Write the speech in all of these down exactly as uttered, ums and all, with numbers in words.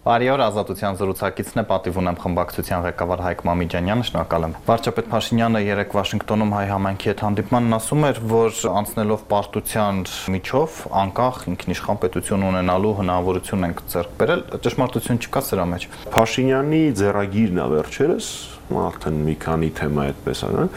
Բարի օր, Ազատության զրուցակիցն է, պատիվ ունեմ խմբակցության ղեկավար Հայկ Մամիջանյանը, շնորհակալ եմ։ Վարչապետ Փաշինյանը երեկ Վաշինգտոնում հայ համայնքի հետ հանդիպմանն ասում էր, որ անցնելով պարտության միջով անկախ ինքնիշխան պետություն ունենալու հնարավորություն ենք ձեռք բերել, ճշմարտություն չկա սրա մեջ։ Փաշինյանի ձեռագիրն է վերջերս, արդեն մի քանի թեմա այդպես է,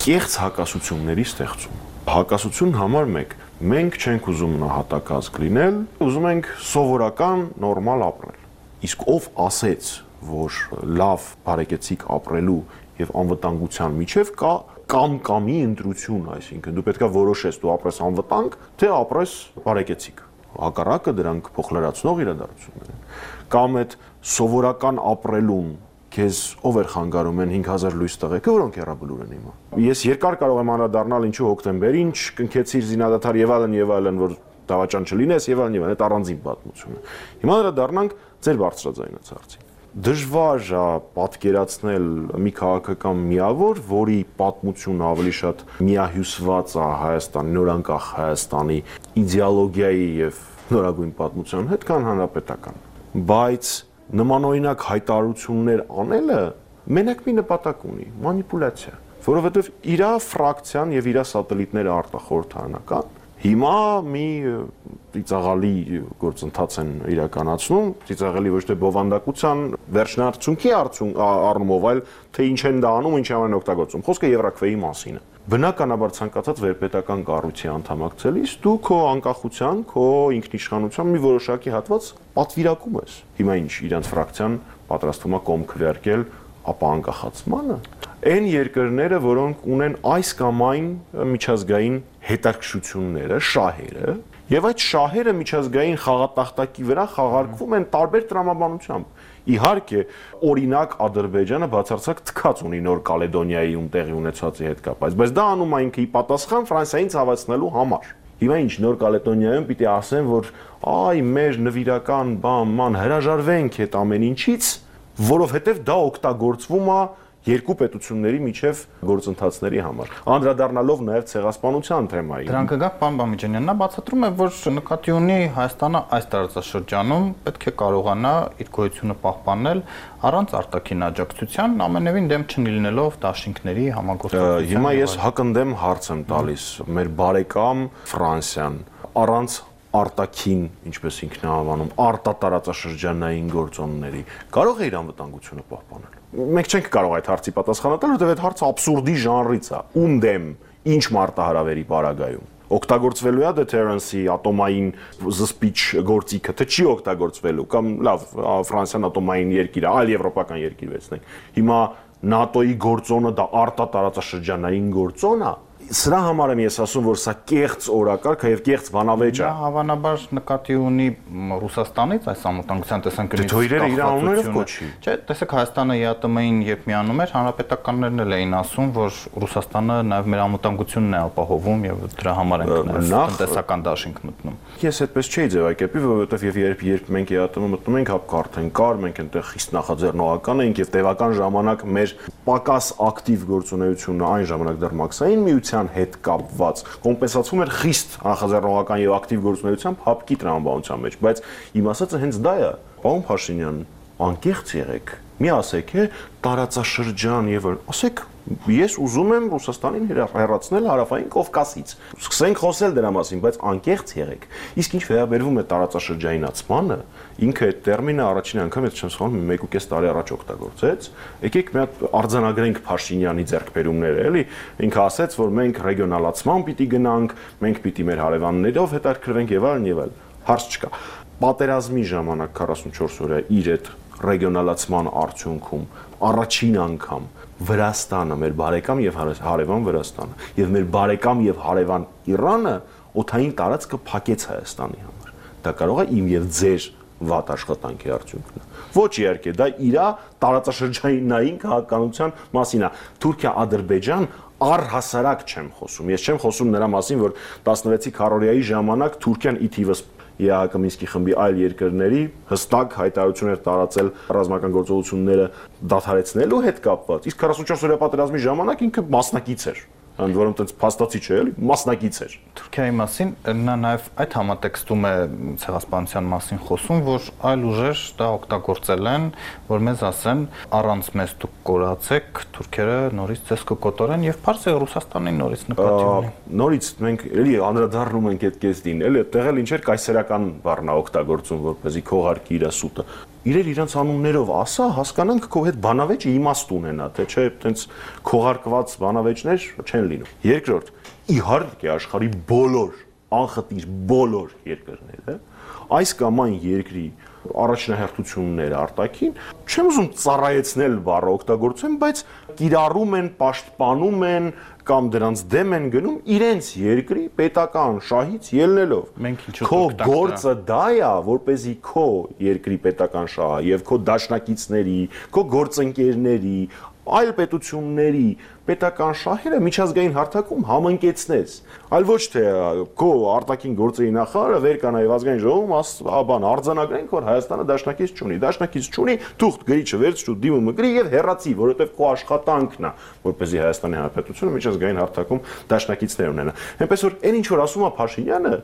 կեղծ հակասությունների ստեղծում։ Հակասություն համար մեկ, մենք չենք ուզում նահատակազգ լինել, ուզում ենք սովորական նորմալ ապրել։ Իսկ ով ասեց, որ լավ բարեկեցիկ ապրելու եւ անվտանգության միջև կա կամ-կամի ընտրություն, այսինքն դու պետքա որոշես դու ապրես անվտանգ, թե ապրես բարեկեցիկ։ Հակառակը դրանք փոխլրացնող իրադարձություններ են։ Կամ այդ սովորական ապրելուն քեզ ով էր խանգարում են հինգ հազար լույս տղեկը, որոնք հեռաբլուր են հիմա։ Ես երկար կարող եմ անդրադառնալ ինչու հոկտեմբեր, ինչ կնքեցիր զինադադար եւ այլն եւ այլն, որ դավաճան չլինես եւ այլն եւ այլն, այդ առանձին պատմություն է։ Հիմա անդրադառնանք ձեր բարձրաձայնացածին։ Դժվար է պատկերացնել մի քաղաքական միավոր, որի պատմությունը ավելի շատ միահյուսված է Հայաստանի, նորանկախ Հայաստանի իդեոլոգիայի եւ նորագույն պատմության հետ, քան հանրապետական։ Բայց նմանօրինակ հայտարարություններ անելը մենակ մի նպատակ ունի՝ մանիպուլյացիա, որովհետեւ իր ֆրակցիան եւ իր սատելիտները արտախորհրդարանական հիմա մի ծիծաղալի գործընթաց են իրականացնում, ծիծաղալի ոչ թե բովանդակության վերջնարդյունքի առումով, այլ թե ինչ են դա անում, ինչի համար օգտագործում։ Խոսքը Եվրաքվեի մասին է։ Բնականաբար ցանկացած վերպետական կառույցի անդամակցելիս դու քո անկախության, քո ինքնիշխանության մի որոշակի հատված պատվիրակում ես։ Հիմա ինչ իրանց ֆրակցիան պատրաստվում է կողմ քվեարկել ապա անկախացմանը։ Այն երկրները, որոնք ունեն այս կամ այն միջազգային հետաքրքրությունները, շահերը, եւ այդ շահերը միջազգային խաղատախտակի վրա խաղարկվում են տարբեր տրամաբանությամբ։ Իհարկե, օրինակ Ադրբեջանը բացարձակ թքած ունի Նոր Կալեդոնիայի ում տեղի ունեցածի հետ կապված, բայց դա անում է ինքը ի պատասխան Ֆրանսիային ցավացնելու համար։ Հիմա ինչ Նոր Կալեդոնիայում պիտի ասեն, որ այ մեր նվիրական բան, ման հրաժարվենք այդ ամեն ինչից, որովհետեւ դա օգտագործվում է երկու պետությունների միջև գործընթացների համար, անդրադառնալով նաև ցեղասպանության թեմային։ Դրանք կգա պարոն Մամիջանյան, նա բացատրում է, որ նկատի ունի Հայաստանը այս տարածաշրջանում պետք է կարողանա իր գոյությունը պահպանել առանց արտաքին աջակցության, ամենևին դեմ չլինելով դաշինքների համագործակցության։ Հիմա ես հակընդդեմ հարց եմ տալիս, մեր բարեկամ Ֆրանսիան առանց արտաքին, ինչպես ինքն է անվանում, արտատարածաշրջանային գործոնների կարող է իր անվտանգությունը պահպանել։ Մենք չենք կարող այդ հարցի պատասխանը տալ, որովհետև այդ հարցը աբսուրդի ժանրից է։ Ում դեմ, ինչ մարտահրավերի պարագայում օգտագործվելու է deterrence-ի ատոմային զսպիչ գործիքը, թե չի օգտագործվելու, կամ լավ, Ֆրանսիան ատոմային երկիր է, այլ եվրոպական երկիր վերցնենք։ Հիմա ՆԱՏՕ-ի գործոնը դա արտատարածաշրջանային գործոն է։ Սրա համար եմ ես ասում, որ սա կեղծ օրակարգ է եւ կեղծ բանավեճ է։ Նա հավանաբար նկատի ունի Ռուսաստանից այս անվտանգության տեսանկյունից։ Դե թույլերը իր անուններով կոչի։ Չէ, տեսեք Հայաստանը ԵԱՏՄ-ին երբ միանում էր, հանրապետականներն էլ էին ասում, որ Ռուսաստանը նաեւ մեր անվտանգությունն է ապահովում եւ դրա համար ենք նաեւ տնտեսական դաշինք մտնում։ Ես այդպես չէի ձևակերպի, որովհետեւ եւ երբ երբ մենք ԵԱՏՄ մտնում ենք, հապ կարթեն կար, մենք այնտեղ խիստ նախաձեռնողական ենք եւ տևական ժամանակ մեր պակաս ակտիվ գործունեությունը այն ժամանակ դեռ մաքսային միության հետ կապված կոմպենսացվում էր խիստ նախաձեռնողական եւ ակտիվ գործունեությամբ հապկի տրամաբանության մեջ, բայց իմ ասածը հենց դա է։ Պարոն Փաշինյան, անկեղծ եղեք, մի ասեք է տարածաշրջան եւ ասեք ես ուզում եմ Ռուսաստանին հեռացնել հարավային Կովկասից։ Սկսենք խոսել դրա մասին, բայց անկեղծ եղեք։ Իսկ ինչ վերաբերվում է տարածաշրջանացմանը, ինքը այդ տերմինը առաջին անգամ ես չեմ սխալվում մեկ ու կես տարի առաջ օգտագործեց։ Եկեք մի հատ արձանագրենք Փաշինյանի ձեռքբերումները, էլի։ Ինքը ասաց, որ մենք ռեգիոնալացման պիտի գնանք, մենք պիտի մեր հարևաններով հետաքրքրվենք եւ այլն եւ այլն։ Հարց չկա։ Պատերազմի ժամանակ քառասունչորս օրյա իր այդ ռեգիոնալացման արդյունքում առաջին անգամ Վրաստանը, մեր բարեկամ եւ հարևան Վրաստանը եւ մեր բարեկամ եւ հարևան Իրանը օդային տարածքը փակեց Հայաստանի համար։ Դա կարող է իմ եւ ձեր վատ աշխատանքի արդյունքն է։ Ոչ իհարկե, դա իր տարածաշրջանային քաղաքականության մասին է։ Թուրքիա-Ադրբեջան առհասարակ չեմ խոսում։ Ես չեմ խոսում նրա մասին, որ տասնվեցի քառորյայի ժամանակ Թուրքիան ի թիվս ԵԱՀԿ Մինսկի խմբի այլ երկրների հստակ հայտարարություններ տարածել ռազմական գործողությունները դադարեցնելու հետ կապված, իսկ քառասունչորս օրյա պատերազմի ժամանակ ինքը մասնակից էր ընդ որում այդպես փաստացի չէ, էլի, մասնակից էր։ Թուրքիայի մասին նա նաև այդ համատեքստում է ցեղասպանության մասին խոսում, որ այլ ուժեր դա օգտագործել են, որ մեզ ասեն առանց մեզ դուք կորացեք, թուրքերը նորից ցես կկոտորեն եւ բարձր Ռուսաստանին նորից նկատի ունի։ Նորից մենք էլի անդրադառնում ենք այդ կեսին, էլի այդտեղ էլ ինչ էր կայսերական բառնա օգտագործում, որպեսզի քողարկի իր սուտը։ Իրեր իրանց անուններով ասա, հասկանանք քո հետ բանավեճը իմաստ ունենա, թե չէ, այտենց քողարկված բանավեճներ չեն լինում։ Երկրորդ, իհարկե աշխարհի բոլոր անխտիր բոլոր երկրները այս կամ այն երկրի առաջնահերթությունները արտաքին, չեմ ուզում ծառայեցնել բառը օգտագործեմ, բայց կիրառում են, պաշտպանում են կամ դրանց դեմ են գնում իրենց երկրի պետական շահից ելնելով։ Քո գործը դա է, որպեսզի քո երկրի պետական շահը եւ քո դաշնակիցների, քո գործընկերների, այլ պետությունների պետական շահերը միջազգային հարթակում համընկեցնես, այլ ոչ թե քո արտաքին գործերի նախարարը վեր կա նաև ազգային ժողովում բան արձանագրենք, որ Հայաստանը դաշնակից չունի, դաշնակից չունի, թուղթ գրիչը վերցրու դիմումը գրի եւ հեռացի, որովհետեւ քո աշխատանքն է, որպեսզի Հայաստանի Հանրապետությունը միջազգային հարթակում դաշնակիցներ ունենա։ Այնպես որ այն ինչ որ ասում է Փաշինյանը,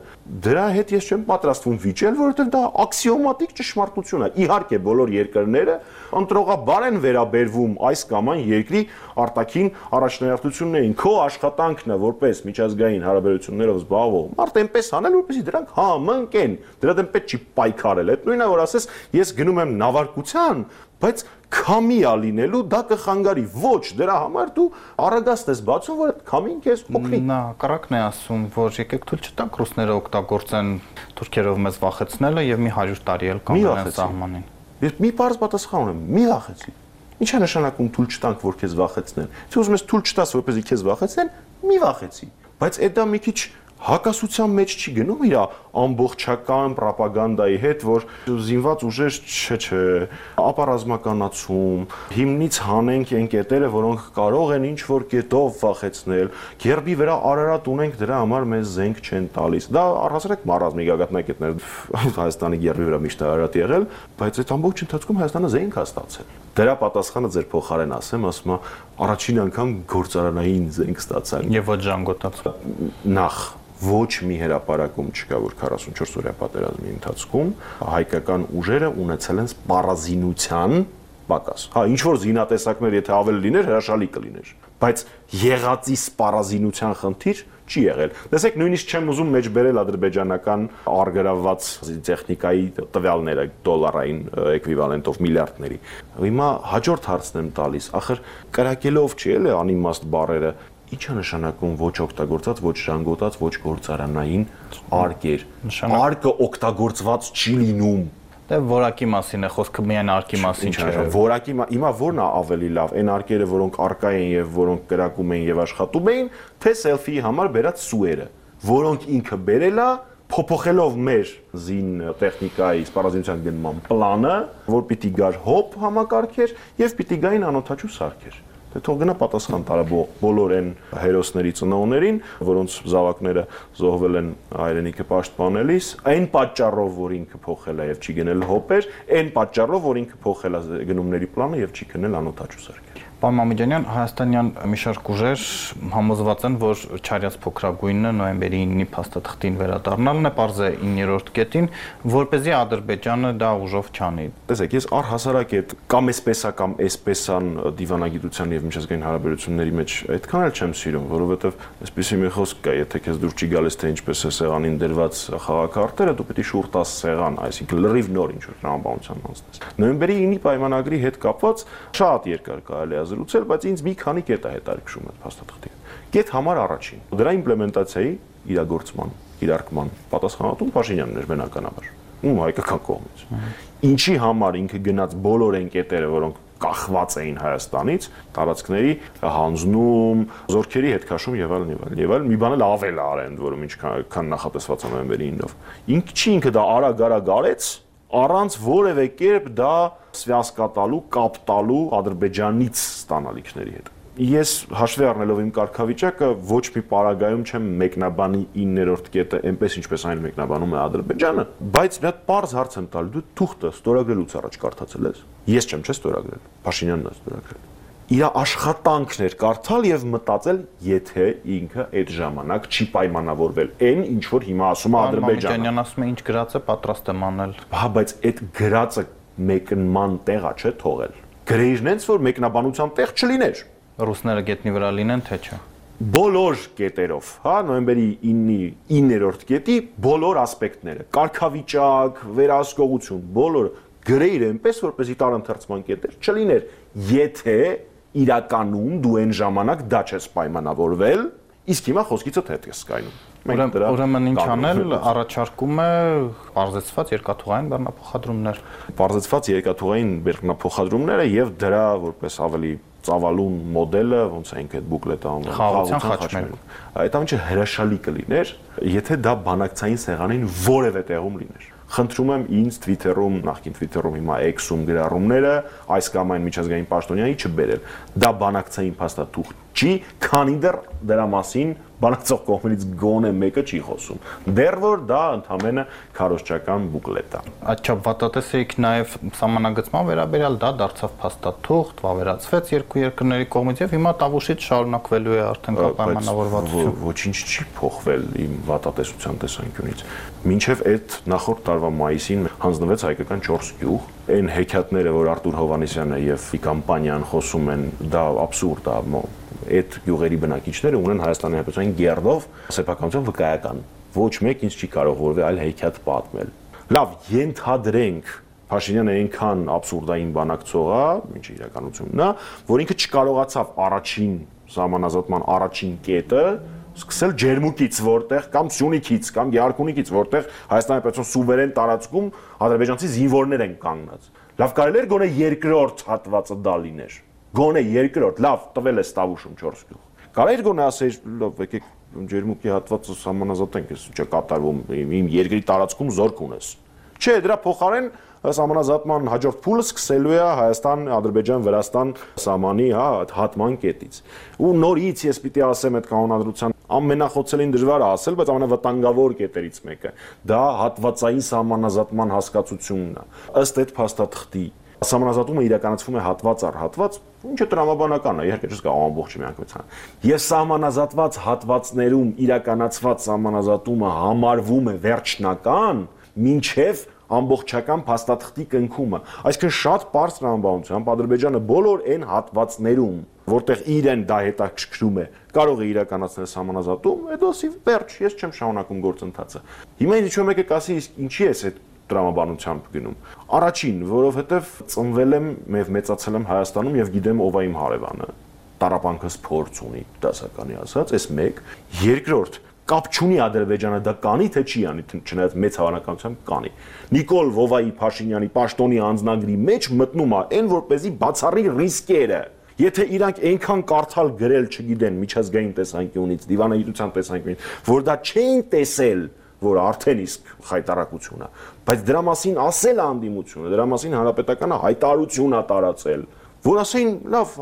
դրա հետ ես չեմ պատրաստվում վիճել, որովհետեւ դա աքսիոմատիկ ճշմարտություն է։ Իհարկե բոլոր երկրները ընտրողաբար են վերաբերվում այս կամ այն երկրի արտաքին առաջնահերթություններին, քո աշխատանքն է որպես միջազգային հարաբերություններով զբաղվող մարդ այնպես անել, որպեսզի դրանք համընկեն, դրա դեմ պետք չի պայքարել։ Այդ նույնը որ ասես, ես գնում եմ նավարկության, բայց քամի ա լինելու, դա կխանգարի, ոչ, դրա համար դու առագաստ ես բացում, որ այդ քամին քեզ օգնի։ Նա կրակն է ասում, որ եկեք թույլ չտանք ռուսները օգտագործեն թուրքերով մեզ վախեցնելը եւ մի հարյուր տարի էլ կանգնեն սահմանին։ Ես մի բարձ պատասխան ունեմ, մի վախեցի։ Ինչ է նշանակում թույլ չտանք, որ քեզ վախեցնեն։ Եթե ուզում ես թույլ չտաս, որպեսզի քեզ վախեցնեն, մի վախեցի։ Բայց այդ դա մի քիչ հակասության մեջ չի գնում իր ամբողջական ռոպագանդայի հետ, որ զինված ուժեր չէ, չէ, ապառազմականացում, հիմնից հանենք այն կետերը, որոնք կարող են ինչ որ կետով վախեցնել, գերբի վրա Արարատ ունենք, դրա համար մեզ զենք չեն տալիս։ Դա առհասարակ մարազմի գագաթնակետներ Հայաստանի գերբի վրա միշտ Արարատ եղել, բայց այդ ամբողջ ընթացքում Հայաստանը զենք է ստացել։ Դրա պատասխանը ձեր փոխարեն ասեմ, ասում է առաջին անգամ գործարանային զենք ստացանք։ Եվ ոչ ժանգոտած։ Նախ ոչ մի հրապարակում չկա, որ քառասունչորս օրյա պատերազմի ընթացքում հայկական ուժերը ունեցել են սպառազինության պակաս։ Հա, ինչ որ զինատեսակներ, եթե ավել լիներ, հրաշալի կլիներ, բայց եղածի սպառազինության խնդիր չի եղել։ Տեսեք, նույնիսկ չեմ ուզում մեջ բերել ադրբեջանական արգրավված տեխնիկայի տվյալները դոլարային էկվիվալենտով միլիարդների։ Հիմա հաջորդ հարցն եմ տալիս, ախր կրակելով չի էլի անիմաստ բառերը, ինչ է նշանակում ոչ օգտագործած, ոչ ժանգոտած, ոչ գործարանային արկեր։ Արկը օգտագործված չի լինում։ Դե որակի մասին է խոսքը, միայն արկի մասին չէ։ Որակի հիմա ո՞րն է ավելի լավ, այն արկերը, որոնք արկա են եւ որոնք կրակում են եւ աշխատում էին, թե սելֆիի համար բերած սուերը, որոնք ինքը բերել է փոփոխելով մեր զին տեխնիկայի սպառազինության գնման պլանը, որ պիտի գար հոբ համակարգեր եւ պիտի գային անօթաչու սարքեր։ Դե թող գնա պատասխան տարա բոլոր այն հերոսների ծնողներին, որոնց զավակները զոհվել են հայրենիքը պաշտպանելիս, այն պատճառով, որ ինքը փոխել է եւ չի գնել հոպեր, այն պատճառով, որ ինքը փոխել է գնումների պլանը եւ չի գնել անօթաչու սարքեր։ Պարոն Մամեդյանյան, հայաստանյան մի շարք ուժեր համոզված են, որ Չարյաց փոքրագույնը նոյեմբերի ինը փաստաթղթին վերադառնալն է, պարզ է իններորդ կետին, որպեսզի Ադրբեջանը դա ուժով չանի։ Տեսեք, ես առհասարակ այդ կամ էսպես է կամ էսպեսան դիվանագիտության եւ միջազգային հարաբերությունների մեջ այդքան էլ չեմ սիրում, որովհետեւ այսպեսի մի խոսք կա, եթե քեզ դուր չի գալիս թե ինչպես է սեղանին դրված խաղակարտերը, դու պետք է շուրջ տաս սեղան, այսինքն լրիվ նոր ինչ որ տրամաբանության անցնես։ Նոյեմբերի ինը պայմանագրի հետ կապված շատ երկար կարելի է զրուցել, բայց ինձ մի քանի կետ է հետաքրքրում այդ փաստաթղթի։ Կետ համար առաջին, դրա իմպլեմենտացիայի իրագործման, իրարկման պատասխանատուն Փաշինյանն էր բնականաբար, ու հայկական կողմից։ Ինչի համար ինքը գնաց բոլոր այն կետերը, որոնք կախված էին Հայաստանից, տարածքների հանձնում, զորքերի հետ քաշում եւ այլն եւ այլն։ Եվ այլ մի բան էլ ավել արեն, որում ինչքան նախատեսված է նոյեմբերի ինով։ Ինչի ինքը դա արագ-արագ արեց, առանց որևէ կերպ դա սվյասկա տալու, կապ տալու Ադրբեջանից ստանալիքների հետ։ Ես հաշվի առնելով իմ կարգավիճակը ոչ մի պարագայում չեմ մեկնաբանի իններորդ կետը այնպես ինչպես այն մեկնաբանում է Ադրբեջանը, բայց մի հատ պարզ հարց եմ տալու, դու թուղթը ստորագրելուց առաջ կարդացել ես։ Ես չեմ չէ ստորագրել, Փաշինյանն է ստորագրել։ իր աշխատանքն էր կարդալ եւ մտածել, եթե ինքը այդ ժամանակ չի պայմանավորվել այն, ինչ որ հիմա ասում է Ադրբեջանը։ Մամիկյանյան ասում է, ինչ գրած է, պատրաստ եմ անել։ Հա, բայց այդ գրածը մեկնման տեղա չէ թողել։ Գրեիրն այնց որ մեկնաբանության տեղ չլիներ։ Ռուսները գետնի վրա լինեն, թե չէ։ Բոլոր կետերով, հա, նոյեմբերի իններորդ կետի բոլոր ասպեկտները, կարգավիճակ, վերահսկողություն, բոլոր գրեիր այնպես, որպեսզի տարընթերցման կետեր չլիներ, եթե իրականում դու այն ժամանակ դա չես պայմանավորվել, իսկ հիմա խոսքիցդ հետ ես սկայնում։ Ուրեմն ինչ անել, առաջարկում է բարձրացված երկաթուղային բեռնափոխադրումներ։ Բարձրացված երկաթուղային բեռնափոխադրումները եւ դրա որպես ավելի ծավալուն մոդելը, ոնց է ինքը այդ բուկլետը անվանում, խաղաղության խաչմերուկ։ Այդ ամենը հրաշալի կլիներ, եթե դա բանակցային սեղանին որևէ տեղում լիներ։ Խնդրում եմ ինձ Twitter-ում, նախկին Twitter-ում հիմա X-ում գրառումները այս կամ այն միջազգային պաշտոնյայի չբերել։ Դա բանակցային փաստաթուղթ չի, քանի դեռ դրա մասին բանակցող կողմերից գոնե մեկը չի խոսում։ Դեռ որ դա ընդհանրապես քարոզչական բուկլետ է։ Աչափ վատատեսեիք նաև սահմանագծման վերաբերյալ դա դարձավ փաստաթուղթ, վավերացվեց երկու երկրների կողմից եւ հիմա տավուշից շարունակվելու է արդեն կա պայմանավորվածություն։ Ոչինչ չի փոխվել իմ վատատեսության տեսանկյունից։ Մինչև այդ նախորդ տարվա մայիսին հանձնվեց հայկական չորս գյուղ, այն հեքիաթները, որ Արտուր Հովհաննիսյանը եւ կամպանիան խոսում են, դա աբսուրդ է։ Այդ գյուղերի բնակիչները ունեն Հայաստանի Հանրապետության գերդով սեփականության վկայական։ Ոչ մեկ ինձ չի կարող որևէ այլ հեքիաթ պատմել։ Լավ, ենթադրենք Փաշինյանը այնքան աբսուրդային բանակցող է, ինչ իրականությունն է, որ ինքը չկարողացավ առաջին սահմանազատման առաջին կետը սկսել ջերմուկից, որտեղ կամ Սյունիքից կամ Գեղարքունիքից, որտեղ Հայաստանի Հանրապետության սուվերեն տարածքում ադրբեջանցի զինվորներ են կանգնած։ Լավ, կարելի էր գոնե երկրորդ հատվածը դա լիներ։ Գոնե երկրորդ, լավ, տվել է Ստավուշում չորս գյուղ։ Կարելի էր գոնե ասել, լավ, եկեք ջերմուկի հատվածը սահմանազատենք, ես չէ կատարվում իմ երկրի տարածքում զորք ունես։ Չէ, դրա փոխարեն սահմանազատման հաջորդ փուլը սկսելու է Հայաստան-Ադրբեջան-Վրաստան սահմանի, հա, հատման կետից։ Ու նորից ես պիտի ասեմ այդ կանոնադրության ամենախոցելին դժվար է ասել, բայց ամենավտանգավոր կետերից մեկը դա հատվածային սահմանազատման հասկացությունն է։ Ըստ այդ փաստաթղթի Սահմանազատումը իրականացվում է հատված առ հատված, ինչը տրամաբանական է, իհարկե չես կարող ամբողջը միանգամայն։ Ես սահմանազատված հատվածներում իրականացված սահմանազատումը համարվում է վերջնական, մինչև ամբողջական փաստաթղթի կնքումը։ Այսինքն շատ པարզ տրամաբանությամբ Ադրբեջանը բոլոր այն հատվածներում, որտեղ իրեն դա հետաքրքրում է, կարող է իրականացնել սահմանազատում, այդոսի վերջ, ես չեմ շարունակում գործընթացը։ Հիմա ինչ որ մեկը կասի, իսկ ինչի է այդ տրամաբանությամբ գնում։ Առաջին, որովհետև ծնվել եմ եւ մեծացել եմ Հայաստանում եւ գիտեմ ով է իմ հարևանը։ Տարապանքս փորձ ունի, դասականի ասած, այս մեկ։ Երկրորդ, կապ չունի Ադրբեջանը դա կանի թե չի անի, չնայած մեծ հավանականությամբ կանի։ Նիկոլ Վովայի Փաշինյանի պաշտոնի անձնագրի մեջ մտնում է այն, որպեսզի բացառի ռիսկերը։ Եթե իրանք այնքան կարդալ գրել չգիտեն միջազգային տեսանկյունից, դիվանագիտության տեսանկյունից, որ դա չեն տեսել, որ արդեն իսկ խայտարակություն է, բայց դրա մասին ասել անդիմությունը, դրա մասին հանրապետականը հայտարարություն է տարածել, որ ասեն, լավ,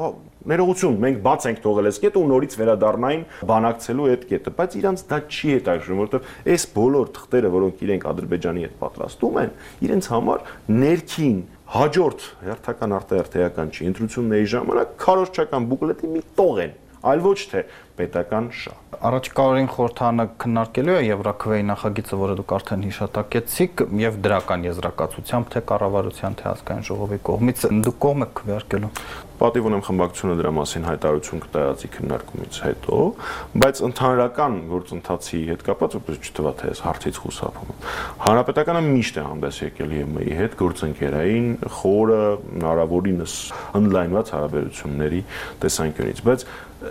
ներողություն, մենք բաց ենք թողել այս կետը ու նորից վերադառնային բանակցելու այդ կետը, բայց իրանց դա չի հետաքրքրում, որովհետև այս բոլոր թղթերը, որոնք իրենք Ադրբեջանի հետ պատրաստում են, իրենց համար ներքին հաջորդ հերթական արտահերթեական չի, ընտրությունների ժամանակ քարոզչական բուկլետի մի տող են, այլ ոչ թե պետական շահ։ Առաջիկա օրերին խորհրդարանը քննարկելու է Եվրաքվեի նախագիծը, որը դուք արդեն հիշատակեցիք, եւ դրական եզրակացությամբ թե կառավարության, թե ազգային ժողովի կողմից դուք կողմ եք քվեարկելու։ Պատիվ ունեմ խմբակցությունը դրա մասին հայտարարություն կտարածի քննարկումից հետո, բայց ընդհանրական գործընթացի հետ կապված որպես չթվա թե այս հարցից խուսափում եմ։ Հանրապետականը միշտ է հանդես եկել ԵՄ-ի հետ գործընկերային խորը հնարավորինս ընդլայնված հարաբերությունների տեսանկյունից, բայց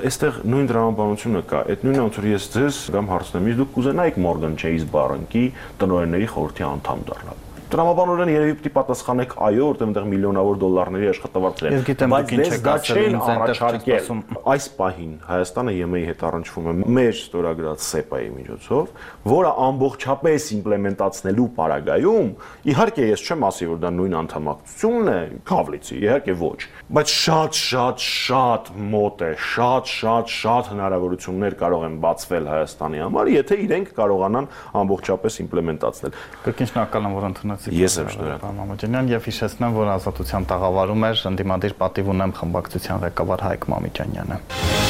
այստեղ նույն դրամաբանությունը կա։ Այդ նույնը ոնց որ ես ձեզ կամ հարցնեմ, իսկ դուք կուզենայիք Morgan Chase բանկի տնօրենների խորհրդի անդամ դառնալ։ Տրամաբանորեն երևի պիտի պատասխանեք այո, որտեղ այնտեղ միլիոնավոր դոլարների աշխատավարձեր են, բայց դες դա չեն առաջարկել։ Այս պահին Հայաստանը ԵՄ-ի հետ առնչվում է մեր ստորագրած սեպայի միջոցով, որը ամբողջապես իմպլեմենտացնելու պարագայում, իհարկե ես չեմ ասի, որ դա նույն անդամակցությունն է, Քավլիցի, իհարկե ոչ, բայց շատ շատ շատ մոտ է, շատ շատ շատ հնարավորություններ կարող են բացվել Հայաստանի համար, եթե իրենք կարողանան ամբողջապես իմպլեմենտացնել։ Կրկին շնորհակալ եմ, որ ընդունել Շնորհակալություն։ Ես եմ շնորհակալ։ Մամաջանյան, եւ հիշեցնեմ, որ Ազատության տաղավարում էր ընդդիմադիր պատիվ ունեմ խմբակցության ղեկավար Հայկ Մամիջանյանը։